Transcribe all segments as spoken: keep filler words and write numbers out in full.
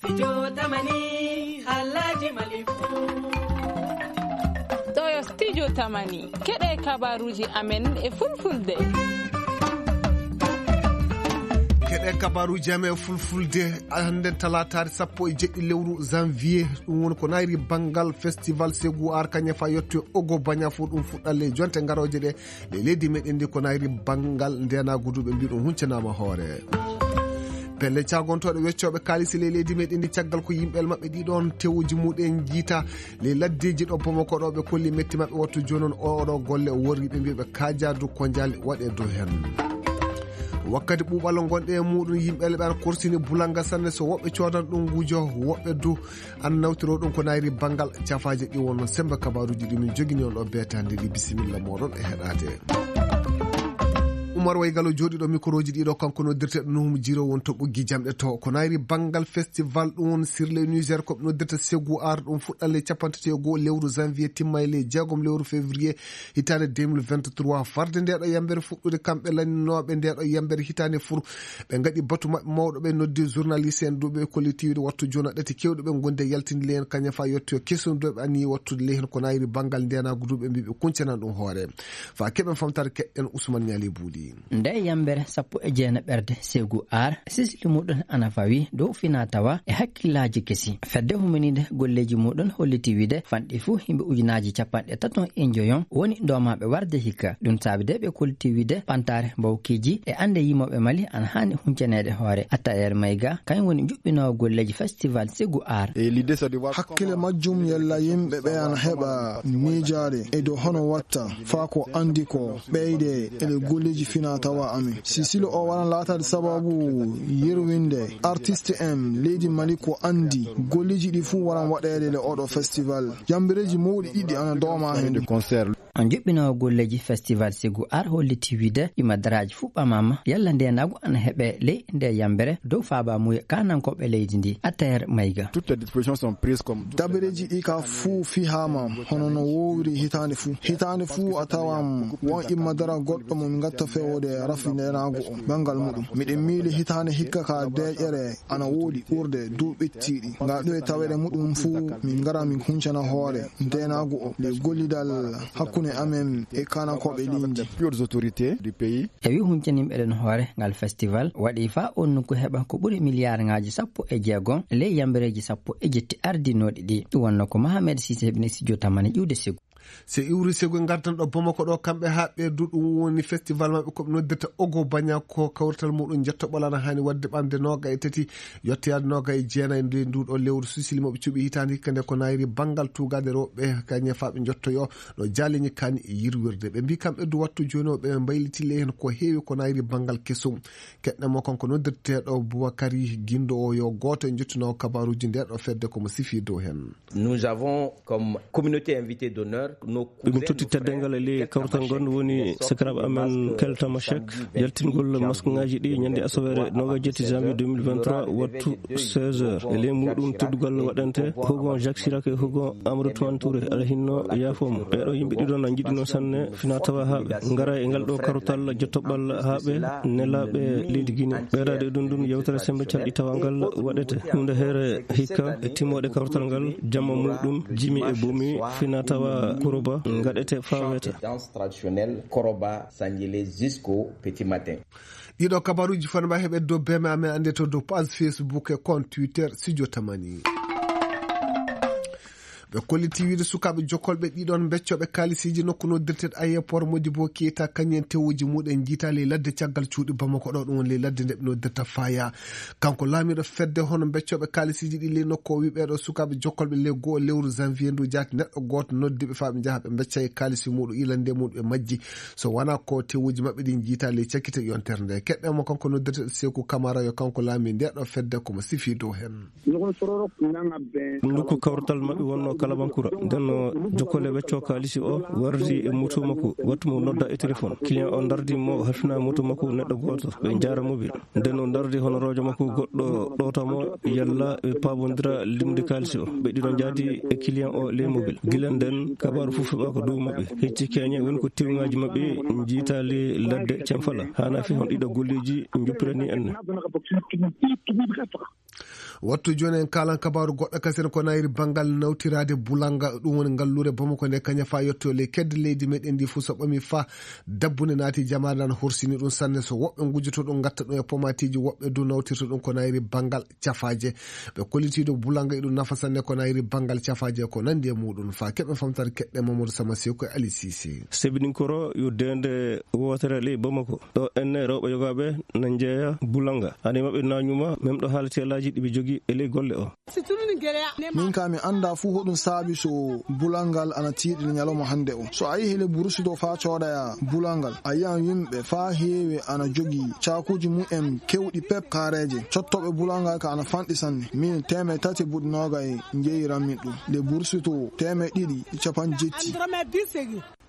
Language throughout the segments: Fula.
Studio Tamani, Alhaji Malifu. Ɗo yo Studio Tamani. Keɗe kabaruuji amen e fulfulde. Keɗe kabaruuji amen e fulfulde, hannde talaataare sappo e jeɗɗi lewru janvier, ɗum woni ko nayri banngal festival Ségou Art Kagnafa yettoyo Ogo Bagna fof, ɗum fuɗɗat ley jonte garooje ɗe. Ley leydi meɗen ndi ko nayri banngal ndenaagu du ɓe mbi ɗum huncanaama hoore. Pelle caagontooɗe weccooɓe kaalisi ley leydi meɗen ndi caggal ko yimɓe maɓɓe ɗiɗon tewuji muɗen jiita ley laddeeji ɗo Bamako ɗo ɓe kolli metti maɓɓe wattu jooni on oɗo golle o worri ɓe mbi ɓe kaajaadu ko njaali waɗe dow heen. Wakkati ɓuuɓal ngonɗe e muɗum yimɓe leɓe ana korsini bulanga sanne so woɓɓe coodan ɗum ngujo woɓɓe du An nawtiro ɗum ko nayri banngal cafaaje ɗi wonno semmbe kabaaruuji ɗi min njogini on ɗo beetaande ɗi bisimilla mooɗon e heɗaade. Umar Waygalo jooɗiiɗo mikorooji ɗiɗo kanko noddirteeɗo Nuhum Jiro won to ɓoggi jamɗe to ko nayri banngal festival ɗum won sirle Niger ko ɓe noddirta Segu Ar ɗum fuɗɗan le capanɗe tati e goo lewru janvier timma e le jeegom lewru février hitaande deux mille vingt-trois farde nde ɗo yambere fuɗɗude kamɓe lanninooɓe nde ɗo yambere hitaande fur Ɓe ngaɗi batu maɓɓe mawɗo ɓe noddi journaliste en duuɓe e kollitiiwde wattu joona ɗati kewɗe ɓe ngondi e yaltinde lehen kañum fa yettoyo kesum duuɓe anniyi wattude lehen ko nayri banngal ndenaagu duuɓe mbiɓe kuncanan ɗum hoore fa keɓen famtare keɗɗen Ousmane Ñaali Buuli. Nde yambere sappo e jeenaɓerde Segu Ar sisili muɗum ana fawi dow fina tawa e hakkillaaji kesi fedde huminide golleeji muɗum holliti wiide fanɗi fuu yimɓe ujunaaji capanɗe taton e njoyon woni ndoomaaɓe warde hikka ɗum saabi de ɓe kolliti wiide ɓantaare mbawkiiji e annde yimooɓe mali ana haani huncaneede hoore attayer mayga kañum woni njuɓɓinoowo golleeji festival Segu Ar. Hakkile majjum yalla yimɓe ɓe ana heɓa miijaade e dow hono watta faa ko anndi ko ɓeyde e ɗe golleeji fina tawa amin sisilo o waran laataade sababu yerwinde artiste en leydi mali ko anndi golleeji ɗi fuu waran waɗeede le oɗo festival yambereeji mawɗi ɗiɗi ana dooma heen. On juɓɓinoowo golleeji festival Segu Ar holliti wiide ɗima daraaji fuu ɓamaama yalla ndeenaagu ana heɓe ley nde yambere dow faabaamuye kaanankooɓe leydi ndi attayer mayga. Toutes les dispositions sont prises comme dabereeji ɗi ka fuu fihaama hono no woowiri hitaande fuu hitaande fuu a tawan won imma dara goɗɗo mo min ngatta fewode rafi ndeenaagu o banngal muɗum miɗen miili hitaande hikka ka deeƴere ana woodi ɓurde duuɓi tiiɗi nga ɗo e taweɗe muɗum fuu min ngara min huncana hoore ndeenaagu o le gollidal hakkunde amen e kaanankooɓe leydi. Plus hautes autorités du pays. E wi huncaniiɓe ɗen hoore ngal festival waɗi faa on nokku heɓa ko ɓuri miliyaarŋaaji sappo e jeegom ley yambereeji sappo e jetti ardinooɗi ɗi ɗum wonno ko Mahamed Sise heɓini studio tamani ƴiwde Segu. Se iwri Segu ngardan ɗo Bamako ɗo kamɓe haa ɓe du ɗum woni festival maɓɓe ko ɓe noddirta Ogo Baña ko kawrital muɗum jettoɓol ana haani waɗde ɓamde nooga e tati yettoyaade nooga e jeenayi nde nduɗo lewru sisili mo ɓe cuɓi hitaande hikka nde ko nayri banngal tuugaade rewɓe kañe faa ɓe njottoyo no jaaleñi kaani e yirwirde ɓe mbi kamɓe du wattu jooni o ɓe mbayliti ley heen ko heewi ko nayri banngal kesum keɗɗen mo kanko noddirteeɗo Bubakari Gindo o yo gooto e njottunoowo kabaaruuji nde ɗo fedde ko mo sifi dow heen. Nous avons comme communauté invitée d'honneur nos ɓe min totti teddeengal e ley kawtal ngal woni sakiraaɓe amen keltama chek yaltingol maskuŋaaji ɗi ñande asaweere noogajetti janvier deux mille vingt-trois wattu seize heures e ley muɗum teddugal waɗante hugon Jacques Chirac e hugon Amadou Toumani Touré aɗa hinno yaafoomo ɓeeɗo yimɓe ɗiɗo na njiɗino sanne fina tawa haa ɓe ngara e ngal ɗo karotal jottoɓal haa ɓe nelaaɓe leydi Guinée ɓeydaade e ɗum ɗum yewtere sembe calɗi tawa ngal waɗete huunde heere hikka e timmoode karotal ngal jamma muɗum jimi e bomi fina tawa kuroba ngaɗete faa weeta. Traditionnel Koroba Sanjele jusqu'au petit matin. Ɗiɗo kabaruuji fanma heɓe dow beme amen annde to dow page Facebook e compte Twitter Studio Tamani. Ɓe kolliti wiide sukaaɓe jokkolɓe ɗiɗon beccoɓe kaalisiiji nokku noddirteeɗo aéroport Modibo Keita kañum en tewuji muɗen njiita ley ladde caggal cuuɗi Bamako ɗo ɗum woni ley ladde nde ɓe noddirta Faya. Kanko laamiiɗo fedde hono beccoɓe kaalisiiji ɗi ley nokku o wi ɓeeɗo sukaaɓe jokkolɓe ley go'o lewru janvier ndu jaati neɗɗo gooto noddi ɓe faa ɓe njaha ɓe mbecca e kaalisi muɗum ilande muɗum ɓe majji so wonaa ko tewuji maɓɓe ɗi njiita ley cakkite yontere nde keɗɗen mo kanko noddirteeɗo Seeku Kamara yo kanko laamii nde ɗo fedde ko mo sifi dow heen. Nokku kawrital maɓɓe wonno Kalabankura. Nden no jokkole wecco kaalisi o wardi e moto makko, wattu mo nodda e téléphone. Client o dardi mo, halfina moto makko neɗɗo gooto. Ɓe njaara mobile. Nden o dardi honoroojo makko goɗɗo ɗowta mo, yalla ɓe paabondira limde kaalisi o. Ɓe ɗiɗo njaadi e client o ley mobile. Gila nden, kabaaru fof heɓaaka dow maɓɓe. Hecci keñe woni ko tewnŋaaji maɓɓe njiitaali ladde Camfala. Haana fi hon ɗiɗo golleeji njuppirani en. Wattu jooni en kaalan kabaaru goɗɗo kasen ko nayri banngal nawtiraade bulanga, ɗum woni ngalluure Bamako nde kaña faa yetto ley kedde leydi meɗen ndi fuu so ɓami faa dabbunde naati jamaare nde ana horsini ɗum sanne so woɓɓe ngujjoto ɗum ngatta ɗum e pomatiiji woɓɓe du nawtirta ɗum ko nayri banngal cafaaje. Ɓe kollitiido bulanga e ɗum nafa sanne ko nayri banngal cafaaje ko nanndi e muɗum faa keɓe famtare keɗɗe Mamadou Sama Sew ko e Ali Sise. Sebidinkoro yo deende wootere ley Bamako. Ɗo enne rewɓe yogaaɓe na njeeya bulanga. Ane maɓɓe na ñuma, même ɗo haalati alaaji ɗi ɓe jogii e ley golle o. Min ka mi annda fuu hoɗum saabi so bulangal ana tiiɗi ñalawma hannde o. So a yehi le Bursudo faa coodaya bulangal, a yiyan yimɓe faa heewi ana jogii caakuuji mumen kewɗi pep kaareeje. Cottooɓe bulangal ka ana fanɗi sanne. Min teemeɗɗe tati buɗi noogay njeyiran min ɗum. Le Bursudo teemeɗɗe ɗiɗi e capanɗe jetti.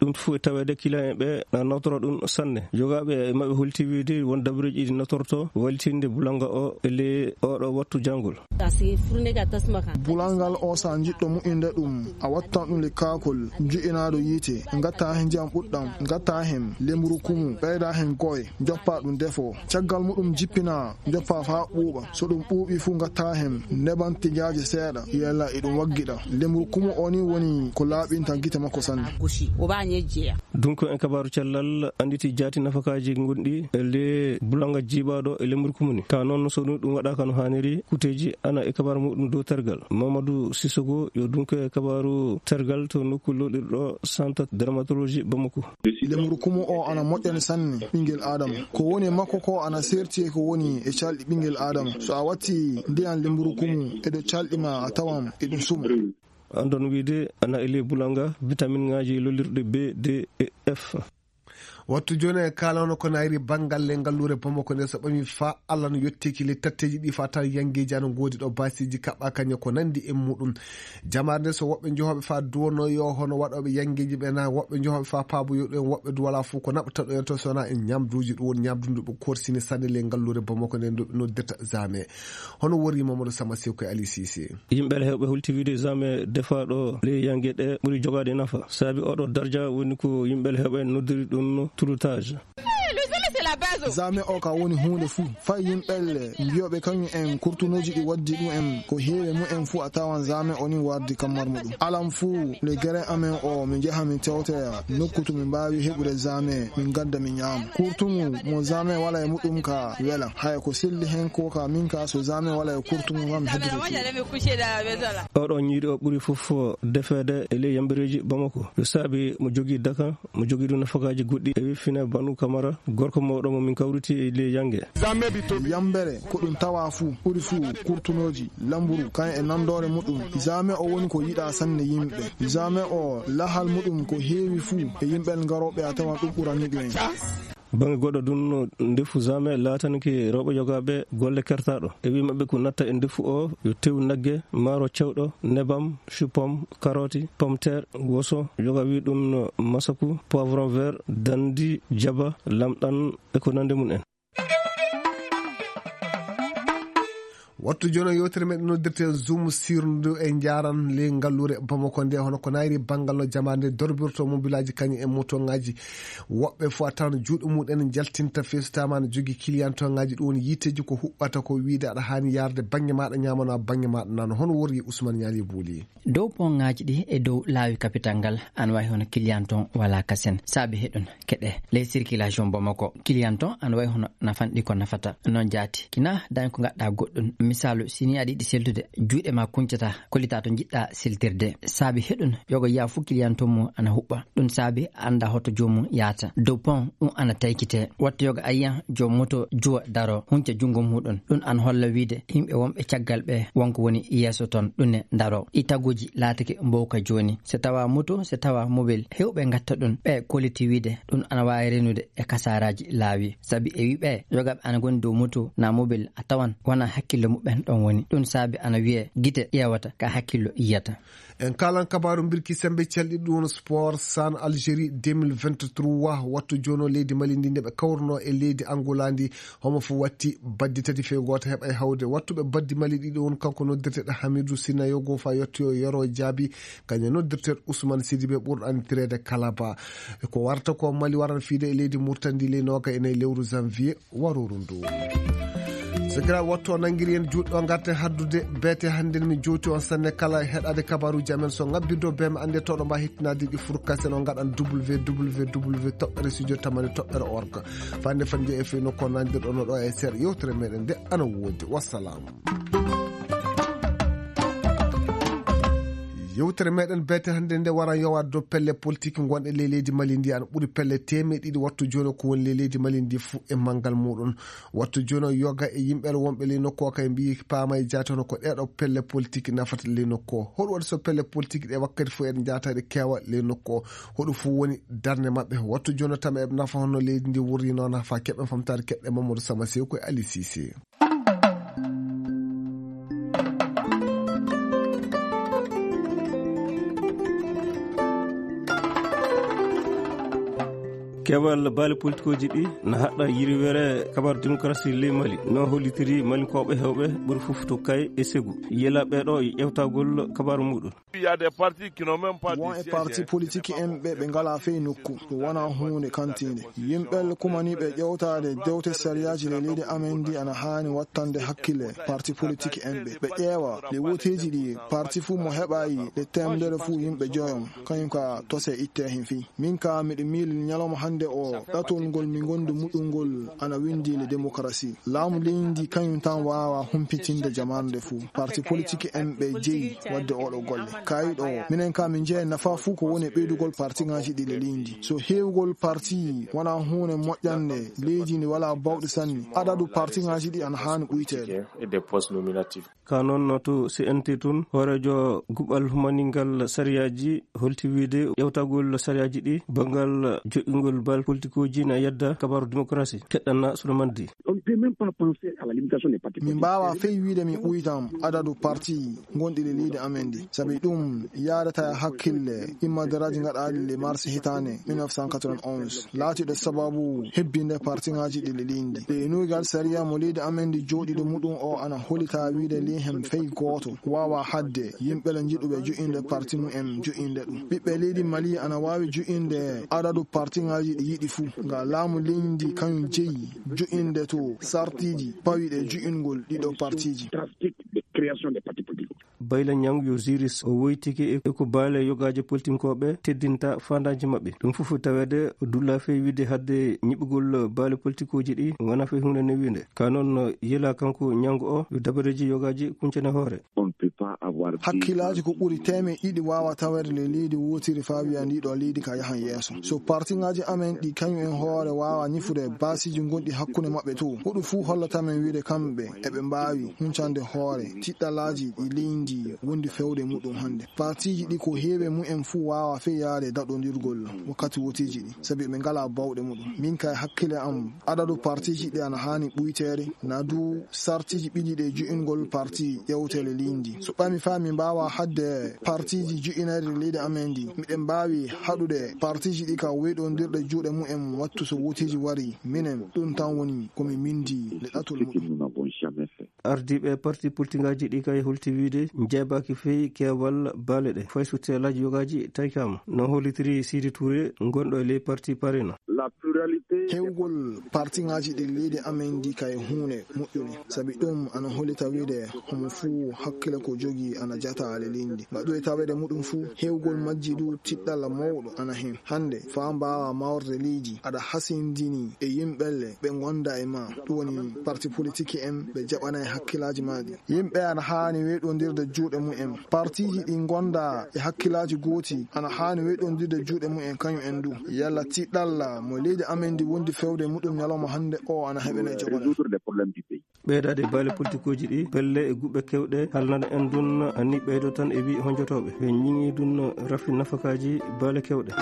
Ɗum fof e taweede kilayen ɓe na nawtora ɗum sanne. Jogaaɓe e maɓɓe holti wiide won dabareeji ɗi nawtorto wallitinde bulanga o e ley oɗo wattu janngol. Bulangal o, so a njiɗɗo mu'inde ɗum, a wattan ɗum le kaakol, nju'inaaɗo yiite, ngatta heen ndiyam ɓuɗɗam, ngatta heen lemburu kumu, ɓeyda heen koye, njoppa ɗum defo. Caggal muɗum jippina, njoppa faa ɓuuɓa. So ɗum ɓuuɓi fuu, ngatta heen neban tigaaje seeɗa, yalla e ɗum waggiɗa. Lemburu kumu o ni woni ko laaɓinta gite makko sanne. Donc, en kabaaru cellal annditi jaati nafakaaji gonɗi e le bulanga jiiɓaaɗo e lemburu kumu ni. Ka noon, so ɗum, ɗum waɗaaka no haaniri, kuteeji ana e kabaaru muɗum dow tergal. Mamadou Sissoko yo donc e kabaaru tergal to nokku lolirɗo Centre Dermatologie Bamako. Lemburu kumu o ana moƴƴani sanne ɓinngel Aadama. Ko woni e makko ko ana seerti e ko woni e calɗi ɓinngel Aadama. So a watti ndiyan lemburu kumu e dow calɗi ma, a tawan e ɗum suma. Anndon wiide ana e ley bulanga, vitaminŋaaji lolirɗi B, D e F. Wattu jooni e kaalano ko nayri banngal le ngalluure Bamako nde so ɓami faa Allah no yetteeki le tatteeji ɗi faa tan yanngeeji ana ngoodi ɗo baasiiji kaɓɓa kañe ko nanndi e muɗum. Jamaare nde so woɓɓe njehooɓe faa duwono yo hono waɗooɓe yanngeeji ɓe na woɓɓe njehooɓe faa paaboyo ɗum en woɓɓe du walaa fof ko naɓata ɗo en to so wonaa en ñamduuji ɗum woni ñamdu ndu ɓe korsini sanne le ngalluure Bamako nde ndu ɓe noddirta Zame. Hono worri Mamadou Sama Sew ko e Ali Sise. Yimɓe hewɓe hulti wiide Zame defaaɗo ley yannge ɗe ɓuri jogaade nafa. Sabi oɗo darja woni ko yimɓe hewɓe noddiri ɗum no touloutage. Zame o ka woni huunde fuu. Fay yimɓe mbiyooɓe kañum en kurtunooji ɗi waddi ɗum en ko heewi mumen fuu a tawan Zame o ni wardi kammar muɗum. Alam fuu le gere amen o mi njaha mi tewtoya nokku to mi mbaawi heɓude Zame min ngadda mi ñaama. Kurtungu mo Zame wala e muɗum ka wela. Haya ko selli hen ko ka min ka so Zame wala e kurtungu ngam heddoto. Oɗo ñiiri o ɓuri fof defeede e ley yambereeji Bamako. Yo saabi mo jogii daka, mo jogii ɗum nafakaaji goɗɗi e wi fine Banu Kamara, gorko mawɗo mo min kawriti e ley yannge. Yambere ko ɗum tawa fuu, ɓuri fuu kurtunooji, lamburu, kan e nandoore muɗum. Zame o woni ko yiɗa sanne yimɓe. Zame o lahal muɗum ko heewi fuu e yimɓe ngarooɓe a tawan ɗum ɓurani ɗum en. Bannge goɗɗo ɗum no ndefu Zame laatanke rewɓe yogaaɓe golle kertaaɗo. E wi maɓɓe ko natta e ndefu o yo tew nagge, maaro cewɗo, nebam, chou-pomme, karooti, pomme-terre, woso, yoga wi ɗum no masaku, poivron vert, dandi, jaba, lamɗam e ko nande mum en. Wattu jono yewtere meɗen noddirte Zoom sirndu e njaran ley ngalluure Bamako nde, hono ko nayri banngal no jamaande dorbirto mobilaaji kañum e motoŋaaji. Woɓɓe fof a tawan juuɗe mumen jaltinta fesude ma no jogii kiliyantoŋaaji, ɗum woni yiiteeji ko huɓɓata ko wiide aɗa haani yarde bannge maaɗa ñaamano bannge maaɗa nano. Hono worri Ousmane Ñaali Buuli. Dow ponŋaaji ɗi e dow laawi kapital ngal, ana wayi hono kiliyanton wala kasen. Saabi heɗun keɗe ley circulation Bamako. Kiliyanton ana wayi hono nafanɗi ko nafata. Noon jaati. Kina dañ ko ngaɗɗa goɗɗun. Misaalu, si ni aɗa yiɗi seltude, juuɗe ma kuncata, kollita to njiɗɗa seltirde. Saabi heɗun, yogo yiya fu kiliyanton mum ana huɓɓa. Ɗun saabi annda hoto joomum yaata. Dow pon, ɗun ana taykite. Wattu yoga a yiyan joom moto juwa daro, hunca junngo muɗun. Ɗun ana holla wiide yimɓe wonɓe caggal ɓe wonko woni yeeso ton, ɗun ne daro. Ɗi taguuji laatake mbowka jooni. So tawa moto, so tawa mobel, hewɓe ngatta ɗun. Ɓe kolliti wiide ɗun ana waawi renude e kasaaraaji laawi. Sabi e wi ɓe, yogaaɓe ana ngoni dow moto naa mobel, a tawan wonaa hakkillo muɓɓen ɗon woni. Ɗun saabi ana wiyee gite ƴeewata ka hakkillo yiyata. En kaalan kabaaru mbirki semmbe calɗi ɗum woni sport CHAN Algérie deux mille vingt-trois. Wattu jooni o leydi Mali ndi nde ɓe kawruno e leydi Angola ndi, homo fof watti baddi tati fee gooto heɓa e hawde. Wattuɓe baddi Mali ɗiɗo woni kanko noddirteeɗo Hamidou Sinayogo fa yettoyo Yoro Jaabi, kañum noddirteeɗo Ousmane Sidibé ɓurɗo anndireede Kalaba. E ko warata ko Mali waran fiide e leydi Mauritanie ndi ley nooga e nayi lewru janvier warooru ndu. Sakiraaɓe, wattu o nanngiri en juuɗe ɗo ngarten haddude beete hannde. Mi jowti on sanne kala heɗaade kabaaruuji amen. So ngabbirdo be ma annde toɗo mba hettinaade ɗi furkasen on ngaɗan www toɓɓere studio tamani toɓɓere org. Fande fande e feyno ko nandirɗo no ɗo e seeɗa yewtere meɗen nde ana woodi. Wassalam. Yewtere meɗen beete hannde nde wara yowa dow pelle politique ngonɗe ley leydi Mali ndi ana ɓuri pelle teemeɗe ɗiɗi wattu jooni ko woni ley leydi Mali ndi fuu e manngal muɗum. Wattu jooni o yoga e yimɓe wonɓe ley nokku o kay mbiyi paama e jaati hono ko ɗeɗo pelle politique nafata ley nokku o. Hoɗum waɗi so pelle politique ɗe wakkati fof eɗe njaata eɗe keewa ley nokku o? Hoɗum fof woni darnde maɓɓe? Wattu jooni o tama eɓe nafa hono leydi ndi wurri noon nafa keɓen famtaade keɓɗe Mamadou Sama Sew koye Ali Cissé. Keewal baali politikuuji ɗi na haɗɗa yirwere kabaaru démocratie ley Mali no hollitiri Malinkooɓe heewɓe ɓuri fof to Kay e Segu. Yela ɓeeɗo e ƴeewtagol kabaaru muɗum. Won e parti politique en ɓe ɓe ngalaa fey nokku. Ɗum wonaa huunde kantiinde. Yimɓe kumaniiɓe ƴeewtaade dewte sariyaaji le leydi amen ndi ana haani wattande hakkille parti politique en ɓe. Ɓe ƴeewa le woteeji ɗi parti fuu mo heɓayi le temdere fuu yimɓe joyon. Kañum ka tose itte hen fii. Min ka miɗo miili ñalawma hannde o ɗatol ngol mi ngondi muɗum ngol ana windi le démocratie. Laamu leydi ndi kañum tan waawa humpitinde jamaanu nde fuu. Parti politique en ɓe jeyi waɗde oɗo golle. Kayi ɗo, minen ka min jeyi nafa fuu ko woni e ɓeydugol parti ŋaaji ɗi le leydi ndi. So heewgol parti wonaa huunde moƴƴande leydi ndi walaa bawɗi sanne, adadu parti ŋaaji ɗi ana haani ɓuyteede. Ka noon to C N T tun, hooreejo guɓal humaningal sariyaaji holti wiide ƴewtagol sariyaaji ɗi banngal joƴƴingol baali politikuuji na yedda kabaaru démocratie. Keɗɗanna Souleymane Di. On ne peut même pas penser à la limitation des partis politiques. Min mbaawaa fey wiide min ɓuytam adadu parti gonɗi le leydi amen ndi. Sabi ɗum yaadata e hakkille immadaraaji gaɗaaɗi le mars hitaande mille neuf cent quatre-vingt-onze. Laatiiɗo sababu hebbinde parti ŋaaji ɗi le leydi ndi. Ɓe nuugal sariya mo leydi amen ndi jooɗiiɗo muɗum o ana holita wiide ley hen fey gooto waawa haɗde yimɓe le njiɗuɓe jo'inde parti mumen jo'inde ɗum. Ɓiɓɓe leydi Mali ana waawi jo'inde adadu parti ŋaaji ɗi yiɗi fuu. Nga laamu leydi ndi kañum jeyi jo'inde to sartiiji pawiɗe jo'ingol ɗiɗo partiiji. Drastique de création des partis politiques. Bayla Ñang yo Ziris o woytike e ko baale yogaaji politinkooɓe teddinta faandaaji maɓɓe. Ɗum fof taweede o dulla fey wiide hadde ñiɓugol baale politikuuji ɗi wona fey huunde newiinde. Ka noon yela kanko Ñang o yo dabareeji yogaaji kuncane hoore. On ne peut pas avoir dix Hakkilaaji ko ɓuri teemeɗe ɗiɗi waawa taweede le leydi wootiri faa wiya ndi ɗo leydi ka yahan yeeso. So parti ŋaaji amen ɗi kañum en hoore waawa ñifude baasiiji gonɗi hakkunde maɓɓe to, huɗo fuu hollata men wiide kamɓe eɓe mbaawi huncande hoore tiɗɗalaaji ɗi leydi wondi fewde muɗum hannde. Partiiji ɗi ko heewi mumen fuu waawa fey yaade daɗondirgol wakkati woteeji ɗi, sabi ɓe ngalaa bawɗe muɗum. Min kay hakkille am, adadu partiiji ɗi ana haani ɓuyteede, na du sartiiji ɓiɗi ɗe jo'ingol parti ƴewte le leydi ndi. So ɓami faa mi mbaawa haɗde partiiji jo'inayɗi leydi amen ndi, miɗen mbaawi haɗude partiiji ɗi ka weyɗondirɗe juuɗe mumen wattu so woteeji wari, minen ɗum tan woni ko mi mindi le ɗatol muɗum. Ardiiɓe parti politigaaji ɗi kay holti wiide njeebaaki fey keewal baale ɗe. Fay so teelaaji yogaaji tawkaama. No hollitiri Sidi Touré, gonɗo e ley parti Parena. Heewgol parti ŋaaji ɗi leydi amen ndi kay huunde moƴƴunde. Sabi ɗum ana hollita wiide homo fuu hakkille ko jogii ana jata le leydi ndi. Ngaɗu e taweede muɗum fuu, heewgol majji du tiɗɗalla mawɗo ana hen. Hannde, faa mbaawa mawrde leydi, aɗa hasindini e yimɓe le ɓe ngonda e ma. Ɗum woni parti politique en ɓe jaɓanay hakkillaaji ma ɗi. Yimɓe ana haani weyɗondirde juuɗe mumen. Partiiji ɗi ngonda e hakkillaaji gooti ana haani weyɗondirde juuɗe mumen kañum en du. Yalla tiɗɗalla mo leydi amen ndi wondi fewde muɗum ñalawma hannde o ana heɓene jogoɗe. Ɓeydaade baale politikuuji ɗi, pelle e guɓɓe kewɗe halnana en ɗum ni ɓeydo tan e wi honjotooɓe. Ɓe ñiŋi ɗum rafi nafakaaji baale kewɗe.